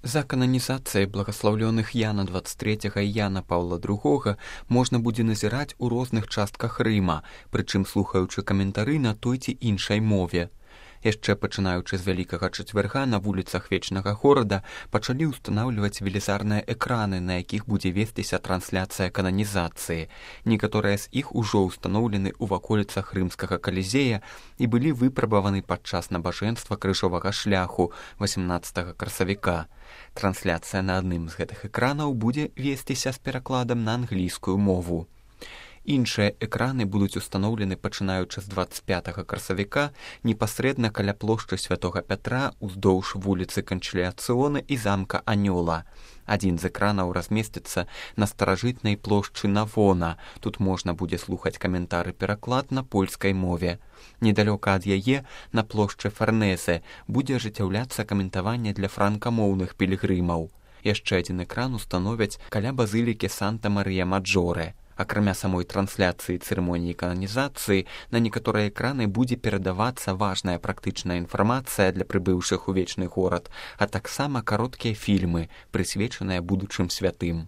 За кананізацыяй благаслаўлёных Яна 23 і Яна Паўла II можна будзе назіраць у розных частках Рыма, прычым слухаючы каментары на той ці іншай мове. Яшчэ пачынаючы з Вялікага чацвярга на вуліцах вечнага горада пачалі ўстанаўліваць велізарныя экраны, на якіх будзе весціся трансляцыя кананізацыі. Некаторыя з іх ужо ўстаноўлены ў ваколіцах рымскага калізея і былі выпрабаваны падчас набажэнства крыжовага шляху 18 красавіка. Трансляцыя на адным з гэтых экранаў будзе весціся з перакладам на англійскую мову. Іншыя экраны будуць устаноўлены пачынаючы з 25 красавіка непасрэдна каля плошчы Святога Пятра уздоўж вуліцы Канчыліяцыёна і замка Анёла. Адзін з экранаў размесціцца на старажытнай плошчы Навона. Тут можна будзе слухаць каментары-пераклад на польскай мове. Недалёка ад яе, на плошчы Фарнезе, будзе ажыццяўляцца каментаванне для франкамоўных пілігрымаў. Яшчэ адзін экран установяць каля базылікі Санта-Марыя-Маджоре. Акрамя самой трансляцыі цырымоніі кананізацыі, на некаторыя экраны будзе перадавацца важная практычная інфармацыя для прыбыўшых у вечны горад, а таксама кароткія фільмы, прысвечаныя будучым святым.